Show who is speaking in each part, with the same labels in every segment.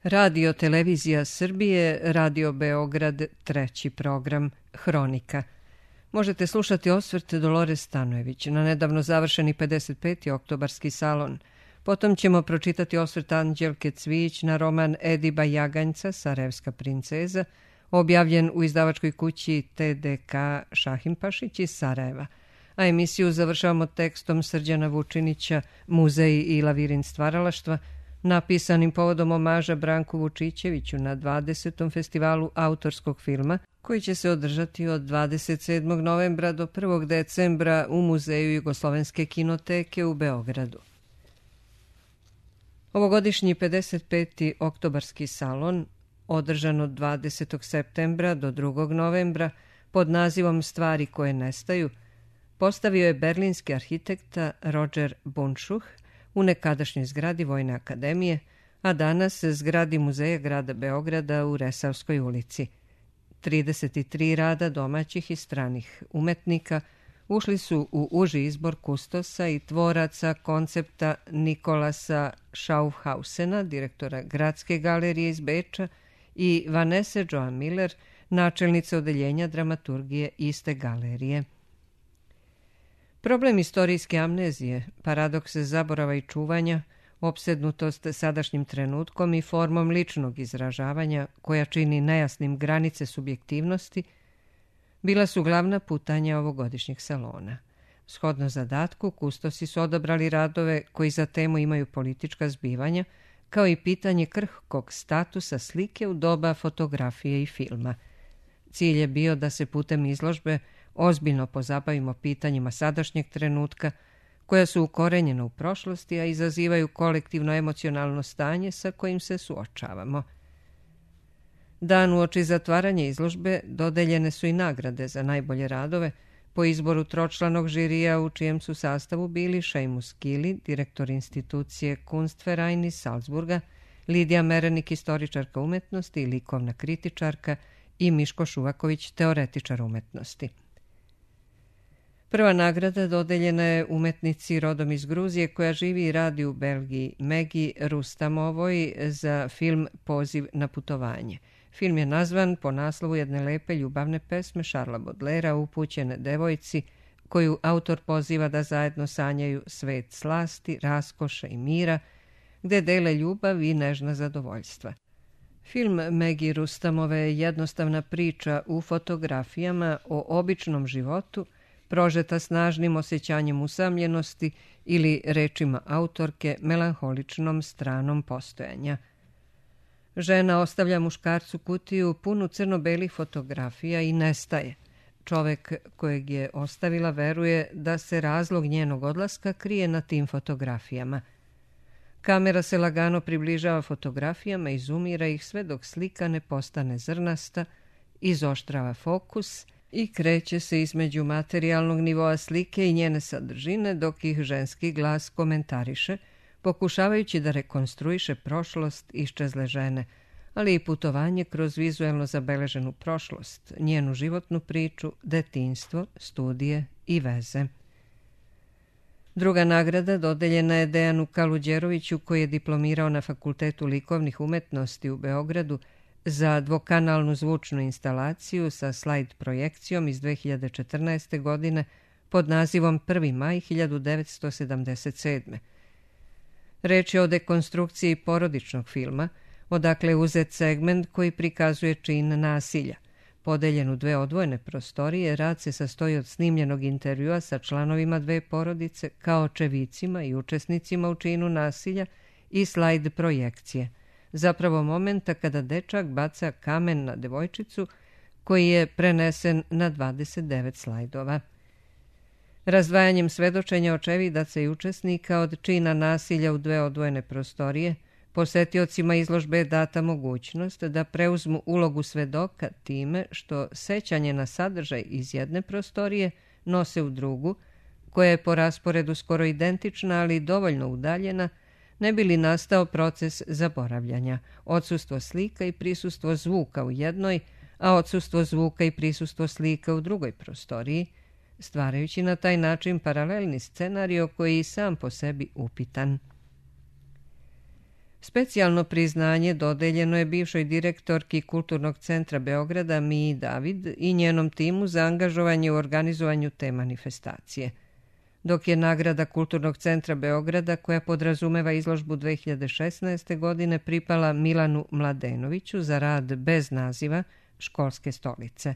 Speaker 1: Radio Televizija Srbije, Radio Beograd, treći program, Hronika. Možete slušati osvrt Dolores Stanojević na nedavno završeni 55. oktobarski salon. Potom ćemo pročitati osvrt Anđelke Cvijić na roman Ediba Jaganjca, Sarajevska princeza, objavljen u izdavačkoj kući TDK Šahimpašić iz Sarajeva. A emisiju završavamo tekstom Srđana Vučinića, Muzej i lavirint stvaralaštva, napisanim povodom omaža Branku Vučićeviću na 20. festivalu autorskog filma, koji će se održati od 27. novembra do 1. decembra u Muzeju Jugoslovenske kinoteke u Beogradu. Ovogodišnji 55. oktobarski salon, održan od 20. septembra do 2. novembra pod nazivom Stvari koje nestaju, postavio je berlinski arhitekta Roger Bundschuh u nekadašnjoj zgradi Vojne akademije, a danas zgradi Muzeja grada Beograda u Resavskoj ulici. 33 rada domaćih i stranih umetnika ušli su u uži izbor kustosa i tvoraca koncepta Nikolasa Schaufhausena, direktora Gradske galerije iz Beča, i Vanesse Joan Miller, načelnice odeljenja dramaturgije iste galerije. Problem istorijske amnezije, paradoks zaborava i čuvanja, opsednutost sadašnjim trenutkom i formom ličnog izražavanja koja čini nejasnim granice subjektivnosti, bila su glavna putanja ovogodišnjeg salona. Shodno zadatku, kustosi su odabrali radove koji za temu imaju politička zbivanja, kao i pitanje krhkog statusa slike u doba fotografije i filma. Cilj je bio da se putem izložbe ozbiljno pozabavimo pitanjima sadašnjeg trenutka, koja su ukorenjena u prošlosti, a izazivaju kolektivno emocionalno stanje sa kojim se suočavamo. Dan uoči zatvaranja izložbe dodeljene su i nagrade za najbolje radove po izboru tročlanog žirija u čijem su sastavu bili Seamus Kili, direktor institucije Kunstverein iz Salzburga, Lidija Merenik, istoričarka umetnosti i likovna kritičarka, i Miško Šuvaković, teoretičar umetnosti. Prva nagrada dodeljena je umetnici rodom iz Gruzije koja živi i radi u Belgiji, Megi Rustamovoj, za film Poziv na putovanje. Film je nazvan po naslovu jedne lepe ljubavne pesme Šarla Bodlera upućene devojci, koju autor poziva da zajedno sanjaju svet slasti, raskoše i mira, gde dele ljubav i nežna zadovoljstva. Film Megi Rustamove je jednostavna priča u fotografijama o običnom životu, prožeta snažnim osjećanjem usamljenosti ili, rečima autorke, melanholičnom stranom postojanja. Žena ostavlja muškarcu kutiju punu crno-belih fotografija i nestaje. Čovek kojeg je ostavila veruje da se razlog njenog odlaska krije na tim fotografijama. Kamera se lagano približava fotografijama i zoomira ih sve dok slika ne postane zrnasta, izoštrava fokus i kreće se između materijalnog nivoa slike i njene sadržine dok ih ženski glas komentariše, pokušavajući da rekonstruiše prošlost iščezle žene, ali i putovanje kroz vizuelno zabeleženu prošlost, njenu životnu priču, detinjstvo, studije i veze. Druga nagrada dodeljena je Dejanu Kaluđeroviću, koji je diplomirao na Fakultetu likovnih umetnosti u Beogradu za dvokanalnu zvučnu instalaciju sa slajd projekcijom iz 2014. godine pod nazivom 1. maj 1977. Reč je o dekonstrukciji porodičnog filma, odakle je uzet segment koji prikazuje čin nasilja. Podeljen u dve odvojene prostorije, rad se sastoji od snimljenog intervjua sa članovima dve porodice, kao očevicima i učesnicima u činu nasilja, i slajd projekcije, zapravo momenta kada dečak baca kamen na devojčicu, koji je prenesen na 29 slajdova. Razdvajanjem svedočenja očevidaca i učesnika od čina nasilja u dve odvojene prostorije, posetiocima izložbe je data mogućnost da preuzmu ulogu svedoka time što sećanje na sadržaj iz jedne prostorije nose u drugu, koja je po rasporedu skoro identična, ali dovoljno udaljena, ne bi li nastao proces zaboravljanja, odsustvo slika i prisustvo zvuka u jednoj, a odsustvo zvuka i prisustvo slika u drugoj prostoriji, stvarajući na taj način paralelni scenario koji je i sam po sebi upitan. Specijalno priznanje dodeljeno je bivšoj direktorki Kulturnog centra Beograda Miji David i njenom timu za angažovanje u organizovanju te manifestacije. Dok je nagrada Kulturnog centra Beograda, koja podrazumeva izložbu 2016. godine, pripala Milanu Mladenoviću za rad bez naziva Školske stolice.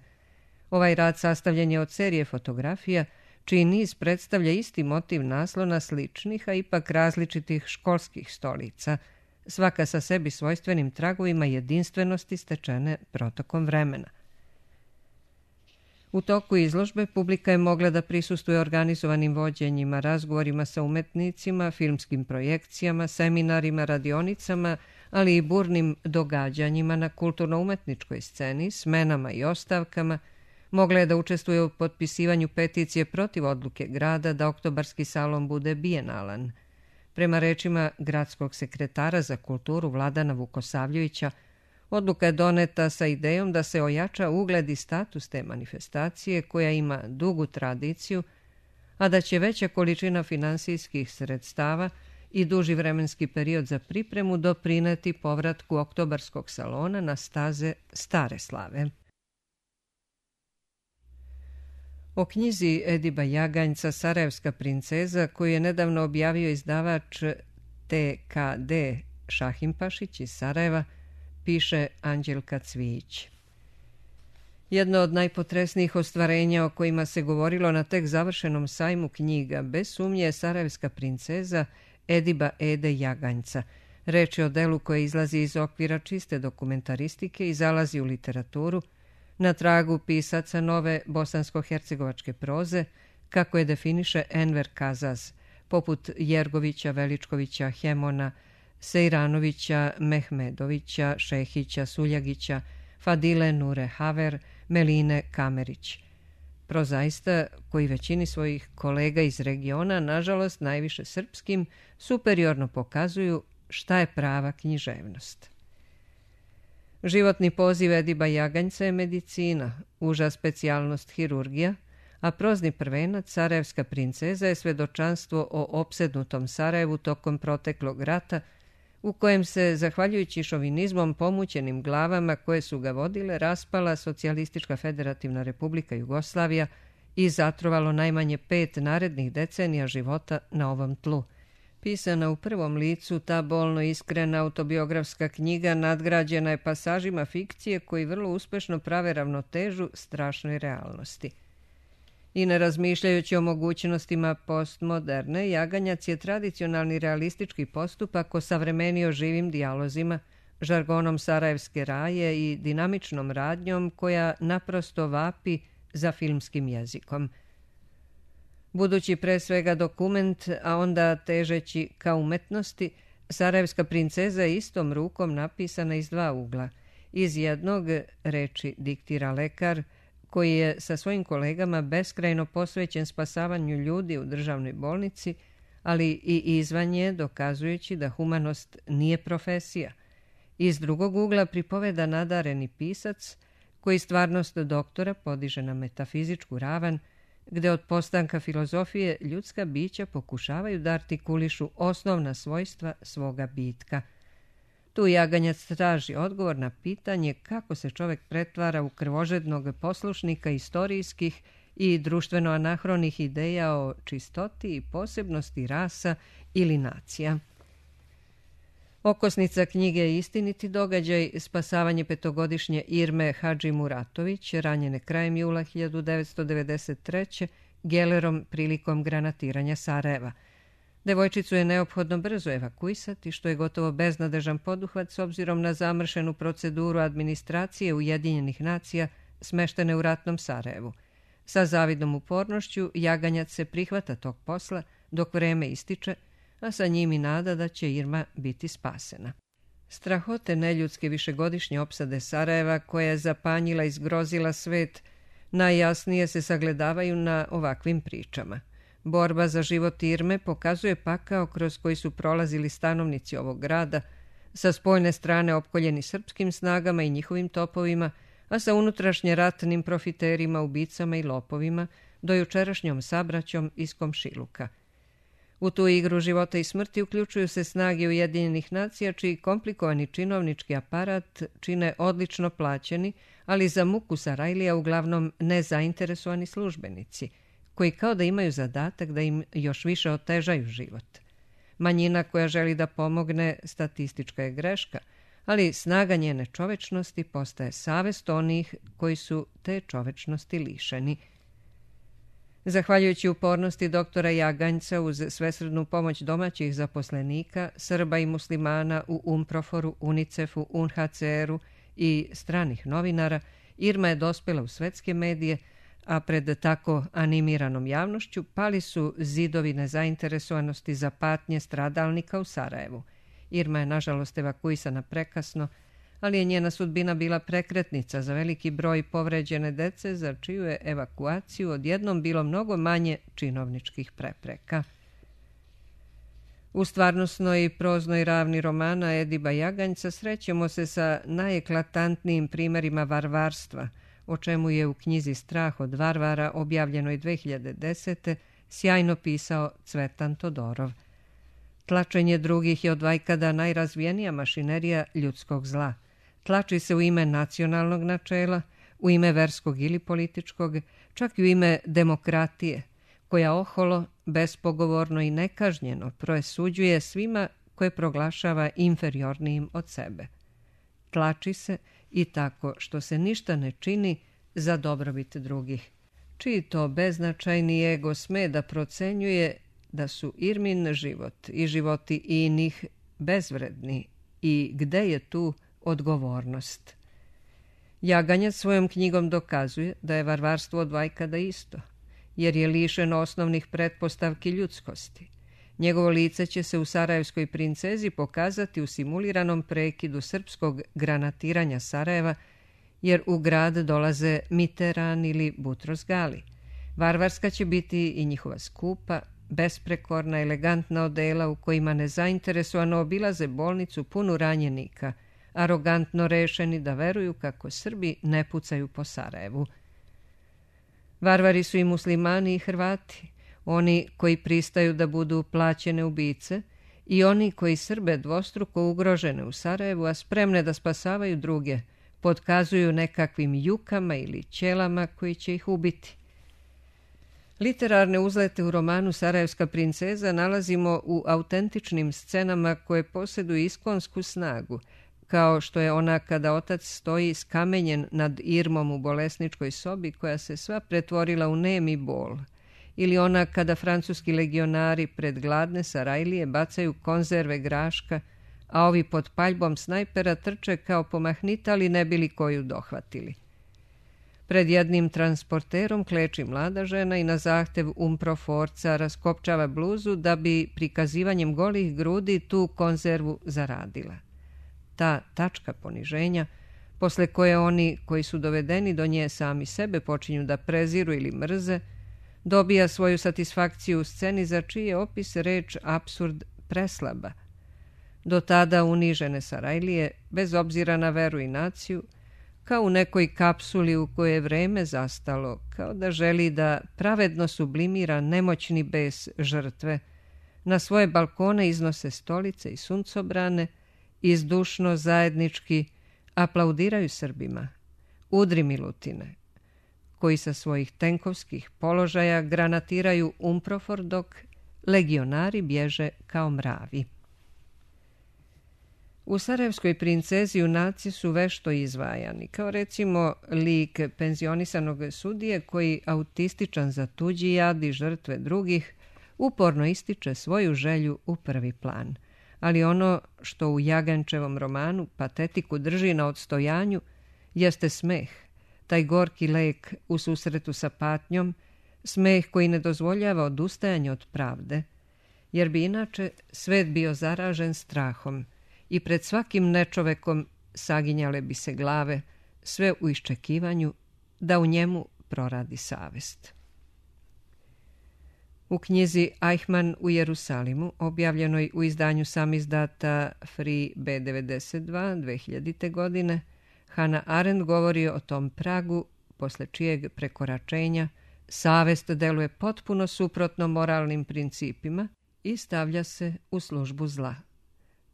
Speaker 1: Ovaj rad sastavljen je od serije fotografija, čiji niz predstavlja isti motiv naslona sličnih, a ipak različitih školskih stolica, svaka sa sebi svojstvenim tragovima jedinstvenosti stečene protokom vremena. U toku izložbe publika je mogla da prisustvuje organizovanim vođenjima, razgovorima sa umetnicima, filmskim projekcijama, seminarima, radionicama, ali i burnim događanjima na kulturno-umetničkoj sceni, smenama i ostavkama. Mogla je da učestvuje u potpisivanju peticije protiv odluke grada da Oktobarski salon bude bijenalan. Prema rečima gradskog sekretara za kulturu Vladana Vukosavljevića, odluka je doneta sa idejom da se ojača ugled i status te manifestacije koja ima dugu tradiciju, a da će veća količina finansijskih sredstava i duži vremenski period za pripremu doprineti povratku Oktobarskog salona na staze stare slave. O knjizi Ediba Jaganjca Sarajevska princeza, koju je nedavno objavio izdavač TKD Šahimpašić iz Sarajeva, piše Anđelka Cvijić. Jedno od najpotresnijih ostvarenja o kojima se govorilo na tek završenom sajmu knjiga bez sumnje je Sarajevska princeza Ediba Ede Jaganjca. Reč je o delu koje izlazi iz okvira čiste dokumentaristike i zalazi u literaturu, na tragu pisaca nove bosansko-hercegovačke proze, kako je definiše Enver Kazaz, poput Jergovića, Veličkovića, Hemona, Sejranovića, Mehmedovića, Šehića, Suljagića, Fadile Nure Haver, Meline Kamerić. Prozaista, koji većini svojih kolega iz regiona, nažalost najviše srpskim, superiorno pokazuju šta je prava književnost. Životni poziv Ediba Jaganjca je medicina, uža specijalnost hirurgija, a prozni prvenac Sarajevska princeza je svedočanstvo o opsednutom Sarajevu tokom proteklog rata, u kojem se, zahvaljujući šovinizmom pomućenim glavama koje su ga vodile, raspala Socijalistička federativna republika Jugoslavija i zatrovalo najmanje 5 narednih decenija života na ovom tlu. Pisana u prvom licu, ta bolno iskrena autobiografska knjiga nadgrađena je pasažima fikcije koji vrlo uspešno prave ravnotežu strašnoj realnosti. I ne razmišljajući o mogućnostima postmoderne, Jaganjac je tradicionalni realistički postupak osavremenio živim dijalozima, žargonom sarajevske raje i dinamičnom radnjom koja naprosto vapi za filmskim jezikom. Budući pre svega dokument, a onda težeći ka umetnosti, Sarajevska princeza je istom rukom napisana iz 2 ugla. Iz jednog, reči diktira lekar, koji je sa svojim kolegama beskrajno posvećen spasavanju ljudi u državnoj bolnici, ali i izvan nje, dokazujući da humanost nije profesija. Iz drugog ugla pripoveda nadareni pisac, koji stvarnost doktora podiže na metafizičku ravan, gde od postanka filozofije ljudska bića pokušavaju da artikulišu osnovna svojstva svoga bitka. Tu Jaganjac traži odgovor na pitanje kako se čovek pretvara u krvožednog poslušnika istorijskih i društveno anahronih ideja o čistoti i posebnosti rasa ili nacija. Okosnica knjige je istiniti događaj spasavanje 5-godišnje Irme Hadži Muratović, ranjene krajem jula 1993. gelerom prilikom granatiranja Sarajeva. Devojčicu je neophodno brzo evakuisati, što je gotovo beznadežan poduhvat s obzirom na zamršenu proceduru administracije Ujedinjenih nacija smeštene u ratnom Sarajevu. Sa zavidnom upornošću Jaganjac se prihvata tog posla dok vreme ističe, a sa njim i nada da će Irma biti spasena. Strahote neljudske višegodišnje opsade Sarajeva, koja je zapanjila i zgrozila svet, najjasnije se sagledavaju na ovakvim pričama. Borba za život Irme pokazuje pakao kroz koji su prolazili stanovnici ovog grada, sa spoljne strane opkoljeni srpskim snagama i njihovim topovima, a sa unutrašnje ratnim profiterima, ubicama i lopovima, do jučerašnjom sabraćom iz komšiluka. U tu igru života i smrti uključuju se snage Ujedinjenih nacija, čiji komplikovani činovnički aparat čine odlično plaćeni, ali za muku Sarajlija uglavnom nezainteresovani službenici, koji kao da imaju zadatak da im još više otežaju život. Manjina koja želi da pomogne statistička je greška, ali snaga njene čovečnosti postaje savest onih koji su te čovečnosti lišeni. Zahvaljujući upornosti doktora Jaganjca uz svesrdnu pomoć domaćih zaposlenika, Srba i muslimana u UNPROFOR-u, UNICEF-u, UNHCR-u i stranih novinara, Irma je dospjela u svetske medije, a pred tako animiranom javnošću pali su zidovi nezainteresovanosti za patnje stradalnika u Sarajevu. Irma je nažalost evakuisana prekasno, ali je njena sudbina bila prekretnica za veliki broj povređene dece, za čiju je evakuaciju odjednom bilo mnogo manje činovničkih prepreka. U stvarnosnoj i proznoj ravni romana Ediba Jaganjca srećemo se sa najeklatantnijim primjerima varvarstva, o čemu je u knjizi Strah od varvara, objavljenoj 2010. sjajno pisao Cvetan Todorov. Tlačenje drugih je odvajkada najrazvijenija mašinerija ljudskog zla. Tlači se u ime nacionalnog načela, u ime verskog ili političkog, čak i u ime demokratije, koja oholo, bespogovorno i nekažnjeno presuđuje svima koje proglašava inferiornijim od sebe. Tlači se i tako što se ništa ne čini za dobrobit drugih. Čiji to beznačajni ego sme da procenjuje da su Irmin život i životi inih bezvredni i gde je tu odgovornost. Jaganjac svojom knjigom dokazuje da je varvarstvo odvajkada isto, jer je lišeno osnovnih pretpostavki ljudskosti. Njegovo lice će se u Sarajevskoj princezi pokazati u simuliranom prekidu srpskog granatiranja Sarajeva, jer u grad dolaze Miteran ili Butros Gali. Varvarska će biti i njihova skupa, besprekorna, elegantna odela u kojima nezainteresovano obilaze bolnicu punu ranjenika, arogantno rešeni da veruju kako Srbi ne pucaju po Sarajevu. Varvari su i muslimani i Hrvati, oni koji pristaju da budu plaćene ubice i oni koji Srbe dvostruko ugrožene u Sarajevu, a spremne da spasavaju druge, potkazuju nekakvim jukama ili ćelama koji će ih ubiti. Literarne uzlete u romanu Sarajevska princeza nalazimo u autentičnim scenama koje posjeduju iskonsku snagu, kao što je ona kada otac stoji skamenjen nad Irmom u bolesničkoj sobi koja se sva pretvorila u nemi bol, ili ona kada francuski legionari pred gladne Sarajlije bacaju konzerve graška, a ovi pod paljbom snajpera trče kao pomahnitali ne bili koju dohvatili. Pred jednim transporterom kleči mlada žena i na zahtev UNPROFOR-ca raskopčava bluzu da bi prikazivanjem golih grudi tu konzervu zaradila. Ta tačka poniženja, posle koje oni koji su dovedeni do nje sami sebe počinju da preziru ili mrze, dobija svoju satisfakciju u sceni za čiji je opis reč apsurd preslaba. Do tada unižene Sarajlije, bez obzira na veru i naciju, kao u nekoj kapsuli u kojoj je vreme zastalo, kao da želi da pravedno sublimira nemoćni bes žrtve, na svoje balkone iznose stolice i suncobrane i zdušno zajednički aplaudiraju Srbima, udri Milutine, koji sa svojih tenkovskih položaja granatiraju UNPROFOR dok legionari bježe kao mravi. U Sarajevskoj princezi junaci su vešto izvajani, kao recimo lik penzionisanog sudije koji, autističan za tuđi jad i žrtve drugih, uporno ističe svoju želju u prvi plan. Ali ono što u Jagančevom romanu patetiku drži na odstojanju jeste smeh, taj gorki lek u susretu sa patnjom, smeh koji ne dozvoljava odustajanje od pravde, jer bi inače svet bio zaražen strahom i pred svakim nečovekom saginjale bi se glave, sve u iščekivanju da u njemu proradi savest. U knjizi Eichmann u Jerusalimu, objavljenoj u izdanju samizdata Free B92 2000. godine, Hannah Arendt govori o tom pragu posle čijeg prekoračenja savest deluje potpuno suprotno moralnim principima i stavlja se u službu zla.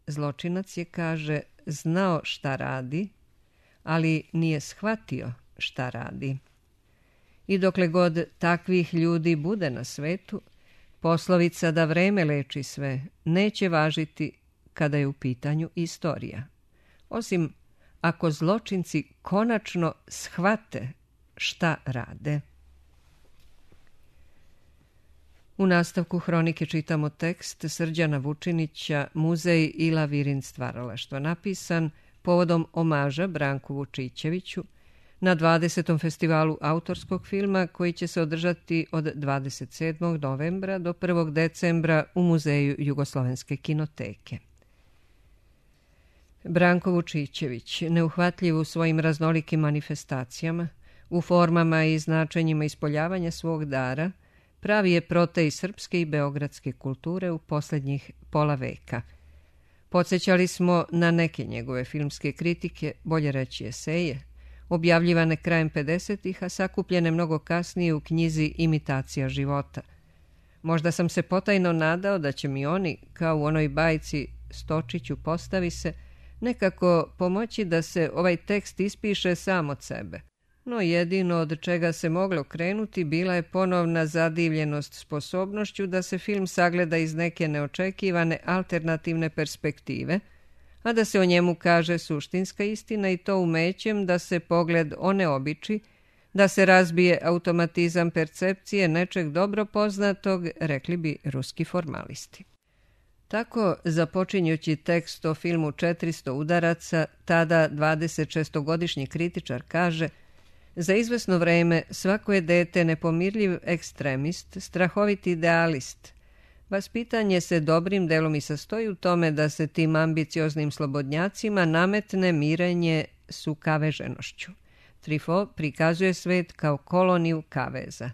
Speaker 1: Zločinac je, kaže, znao šta radi, ali nije shvatio šta radi. I dokle god takvih ljudi bude na svetu, poslovica da vreme leči sve neće važiti kada je u pitanju istorija. Osim ako zločinci konačno shvate šta rade. U nastavku hronike čitamo tekst Srđana Vučinića Muzej Ila Virin stvaralaštva, napisan povodom omaža Branku Vučićeviću na 20. festivalu autorskog filma koji će se održati od 27. novembra do 1. decembra u Muzeju Jugoslovenske kinoteke. Branko Vučićević, neuhvatljiv u svojim raznolikim manifestacijama, u formama i značenjima ispoljavanja svog dara, pravi je protej srpske i beogradske kulture u posljednjih pola veka. Podsjećali smo na neke njegove filmske kritike, bolje reći eseje, objavljivane krajem 50-ih, a sakupljene mnogo kasnije u knjizi Imitacija života. Možda sam se potajno nadao da će mi oni, kao u onoj bajci Stočiću postavi se, nekako pomoći da se ovaj tekst ispiše sam od sebe. No jedino od čega se moglo krenuti bila je ponovna zadivljenost sposobnošću da se film sagleda iz neke neočekivane alternativne perspektive, a da se o njemu kaže suštinska istina i to umećem da se pogled oneobiči, da se razbije automatizam percepcije nečeg dobro poznatog, rekli bi ruski formalisti. Tako, započinjući tekst o filmu 400 udaraca, tada 26-godišnji kritičar kaže: za izvesno vreme svako je dete nepomirljiv ekstremist, strahoviti idealist. Vaspitanje se dobrim delom i sastoji u tome da se tim ambicioznim slobodnjacima nametne mirenje s ukaveženošću. Truffaut prikazuje svet kao koloniju kaveza.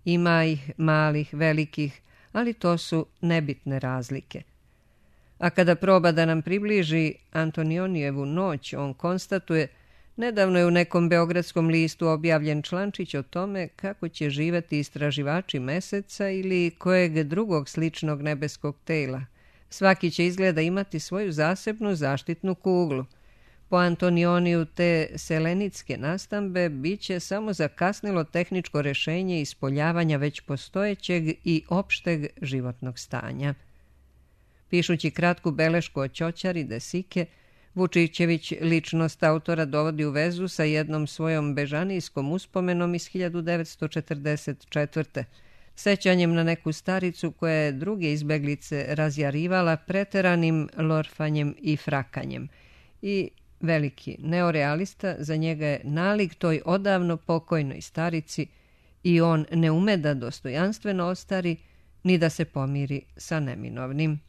Speaker 1: Ima ih malih, velikih, ali to su nebitne razlike. A kada proba da nam približi Antonionijevu noć, on konstatuje: nedavno je u nekom beogradskom listu objavljen člančić o tome kako će živeti istraživači meseca ili kojeg drugog sličnog nebeskog tela. Svaki će izgleda imati svoju zasebnu zaštitnu kuglu. Po Antonioniju te selenitske nastambe bit će samo zakasnilo tehničko rešenje ispoljavanja već postojećeg i opšteg životnog stanja. Pišući kratku belešku o ćoćari Desike, Vučićević ličnost autora dovodi u vezu sa jednom svojom bežanijskom uspomenom iz 1944. Sećanjem na neku staricu koja je druge izbeglice razjarivala preteranim lorfanjem i frakanjem. I veliki neorealista za njega je nalik toj odavno pokojnoj starici i on ne ume da dostojanstveno ostari ni da se pomiri sa neminovnim.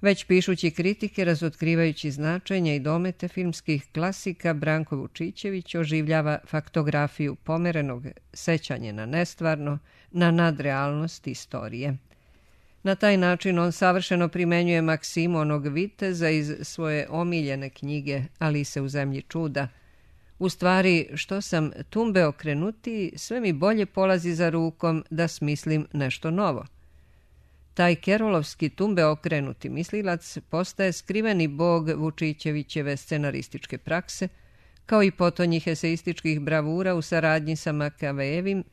Speaker 1: Već pišući kritike, razotkrivajući značenja i domete filmskih klasika, Branko Vučićević oživljava faktografiju pomerenog, sećanje na nestvarno, na nadrealnost istorije. Na taj način on savršeno primenjuje maksimu onog viteza iz svoje omiljene knjige Alise u zemlji čuda. U stvari, što sam tumbe okrenutiji, sve mi bolje polazi za rukom da smislim nešto novo. Taj kerolovski tumbe okrenuti mislilac postaje skriveni bog Vučićevićeve scenarističke prakse, kao i potonjih eseističkih bravura u saradnji sa Makavejevim,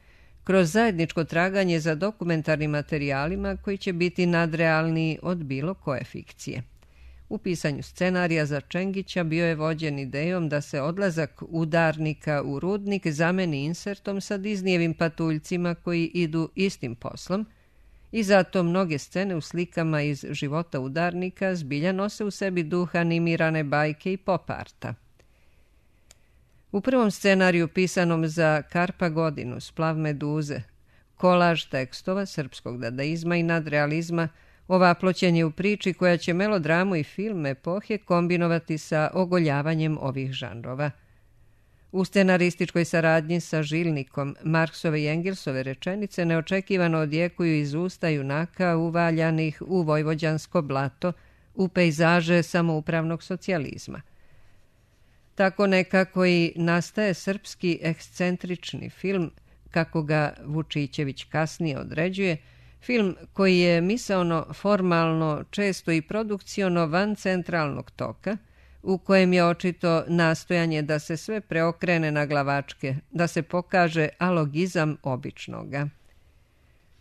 Speaker 1: kroz zajedničko traganje za dokumentarnim materijalima koji će biti nadrealniji od bilo koje fikcije. U pisanju scenarija za Čengića bio je vođen idejom da se odlazak udarnika u rudnik zameni insertom sa Disneyevim patuljcima koji idu istim poslom, i zato mnoge scene u slikama iz života udarnika zbilja nose u sebi duh animirane bajke i pop arta. U prvom scenariju pisanom za Karpa godinu, Splav meduze, kolaž tekstova srpskog dadaizma i nadrealizma, ovaploćen je u priči koja će melodramu i film epohe kombinovati sa ogoljavanjem ovih žanrova. U scenarističkoj saradnji sa Žilnikom, Marksove i Engelsove rečenice neočekivano odjekuju iz usta junaka uvaljanih u vojvođansko blato, u pejzaže samoupravnog socijalizma. Tako nekako i nastaje srpski ekscentrični film, kako ga Vučićević kasnije određuje, Film koji je misaono, formalno, često i produkciono van centralnog toka, u kojem je očito nastojanje da se sve preokrene na glavačke, da se pokaže alogizam običnoga.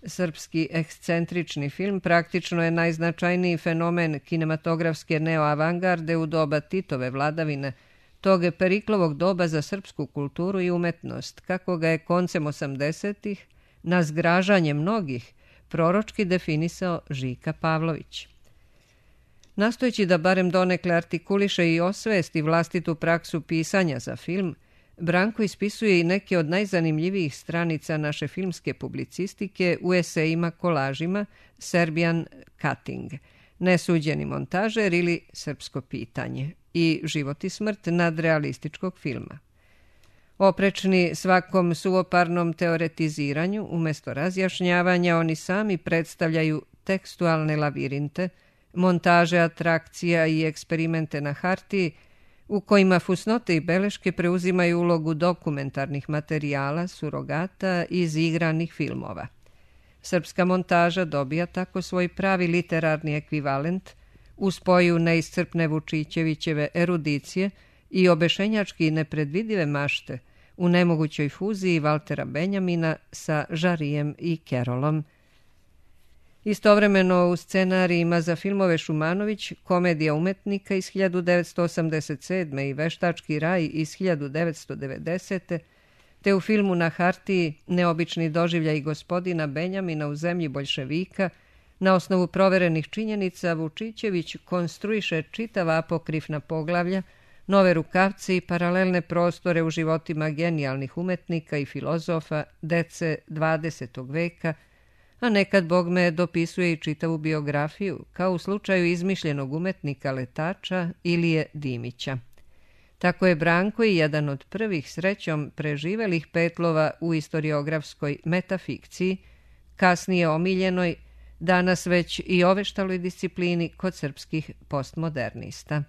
Speaker 1: Srpski ekscentrični film praktično je najznačajniji fenomen kinematografske neoavangarde u doba Titove vladavine, tog Periklovog doba za srpsku kulturu i umetnost, kako ga je koncem 80-ih, na zgražanje mnogih, proročki definisao Žika Pavlović. Nastojeći da barem donekle artikuliše i osvesti vlastitu praksu pisanja za film, Branko ispisuje i neke od najzanimljivijih stranica naše filmske publicistike u esejima kolažima Serbian Cutting, Nesuđeni montažer ili Srpsko pitanje i Život i smrt nadrealističkog filma. Oprečni svakom suvoparnom teoretiziranju, umjesto razjašnjavanja, oni sami predstavljaju tekstualne lavirinte, montaže atrakcija i eksperimente na hartiji, u kojima fusnote i beleške preuzimaju ulogu dokumentarnih materijala, surogata i izigranih filmova. Srpska montaža dobija tako svoj pravi literarni ekvivalent u spoju neiscrpne Vučićevićeve erudicije i obešenjački nepredvidive mašte u nemogućoj fuziji Valtera Benjamina sa Žarijem i Kerolom. Istovremeno u scenarijima za filmove Šumanović, Komedija umetnika iz 1987. i Veštački raj iz 1990. te u filmu Na hartiji Neobični doživljaj gospodina Benjamina u zemlji boljševika, na osnovu proverenih činjenica Vučićević konstruiše čitava apokrifna poglavlja, nove rukavce i paralelne prostore u životima genijalnih umetnika i filozofa dece 20. veka, a nekad bogme dopisuje i čitavu biografiju, kao u slučaju izmišljenog umetnika letača Ilije Dimića. Tako je Branko i jedan od prvih srećom preživelih petlova u istoriografskoj metafikciji, kasnije omiljenoj, danas već i oveštaloj disciplini kod srpskih postmodernista.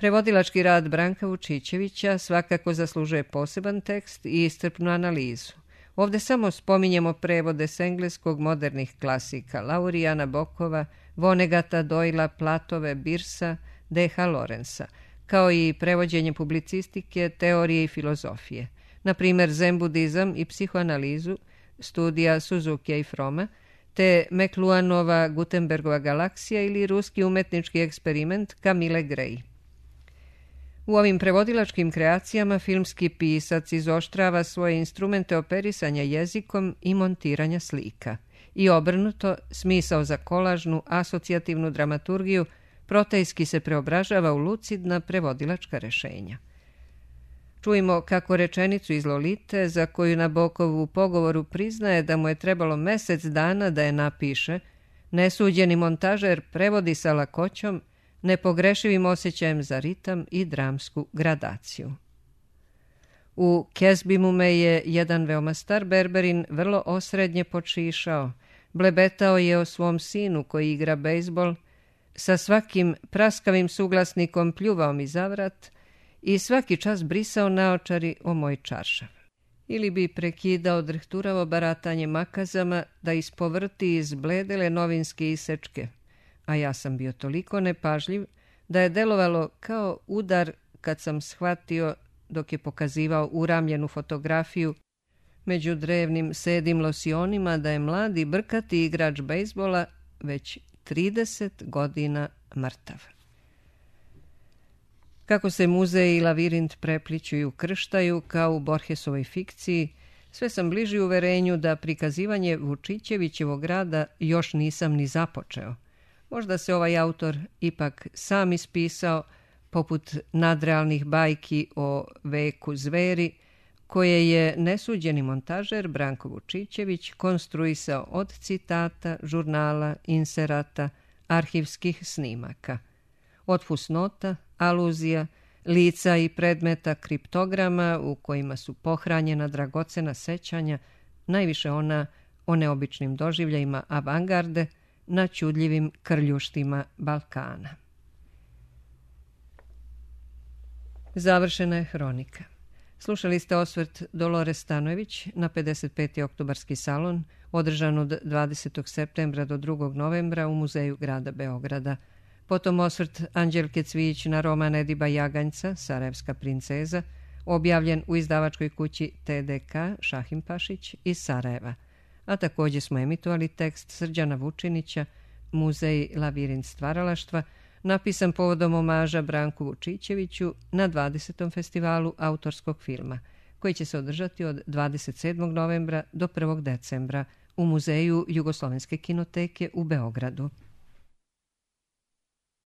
Speaker 1: Prevodilački rad Branka Vučićevića svakako zaslužuje poseban tekst i iscrpnu analizu. Ovdje samo spominjemo prevode s engleskog modernih klasika Laurijana Bokova, Vonegata, Doyla, Platove, Birsa, D.H. Lorenza, kao i prevođenje publicistike, teorije i filozofije. Na primjer, zen budizam i psihoanalizu, studija Suzukija i Froma, te Mekluanova Gutenbergova galaksija ili ruski umetnički eksperiment Camille Gray. U ovim prevodilačkim kreacijama filmski pisac izoštrava svoje instrumente operisanja jezikom i montiranja slika. I obrnuto, smisao za kolažnu, asocijativnu dramaturgiju protejski se preobražava u lucidna prevodilačka rešenja. Čujmo kako rečenicu iz Lolite, za koju Nabokov u pogovoru priznaje da mu je trebalo mesec dana da je napiše, nesuđeni montažer prevodi sa lakoćom, nepogrešivim osjećajem za ritam i dramsku gradaciju. U Kezbimu me je jedan veoma star berberin vrlo osrednje počišao, blebetao je o svom sinu koji igra bejsbol, sa svakim praskavim suglasnikom pljuvao mi za vrat i svaki čas brisao naočari o moj čaršav. Ili bi prekidao drhturavo baratanje makazama da ispovrti izbledele novinske isečke, a ja sam bio toliko nepažljiv da je delovalo kao udar kad sam shvatio, dok je pokazivao uramljenu fotografiju među drevnim sedim losionima, da je mladi brkati igrač bejsbola već 30 godina mrtav. Kako se muzej i lavirint prepliću i ukrštaju kao u Borgesovoj fikciji, sve sam bliži uverenju da prikazivanje Vučićevićevog rada još nisam ni započeo. Možda se ovaj autor ipak sam ispisao, poput nadrealnih bajki o veku zveri, koje je nesuđeni montažer Branko Vučićević konstruisao od citata, žurnala, inserata, arhivskih snimaka. Od fusnota, aluzija, lica i predmeta kriptograma u kojima su pohranjena dragocena sećanja, najviše ona o neobičnim doživljajima avangarde na čudljivim krljuštima Balkana. Završena je hronika. Slušali ste osvrt Dolore Stanojević na 55. oktobarski salon, održan od 20. septembra do 2. novembra u Muzeju grada Beograda. Potom osvrt Anđelke Cvijić na roman Ediba Jaganjca, Sarajevska princeza, objavljen u izdavačkoj kući TDK Šahim Pašić iz Sarajeva. A također smo emitovali tekst Srđana Vučinića, Muzej Labirint stvaralaštva, napisan povodom omaža Branku Vučićeviću na 20. festivalu autorskog filma, koji će se održati od 27. novembra do 1. decembra u Muzeju Jugoslovenske kinoteke u Beogradu.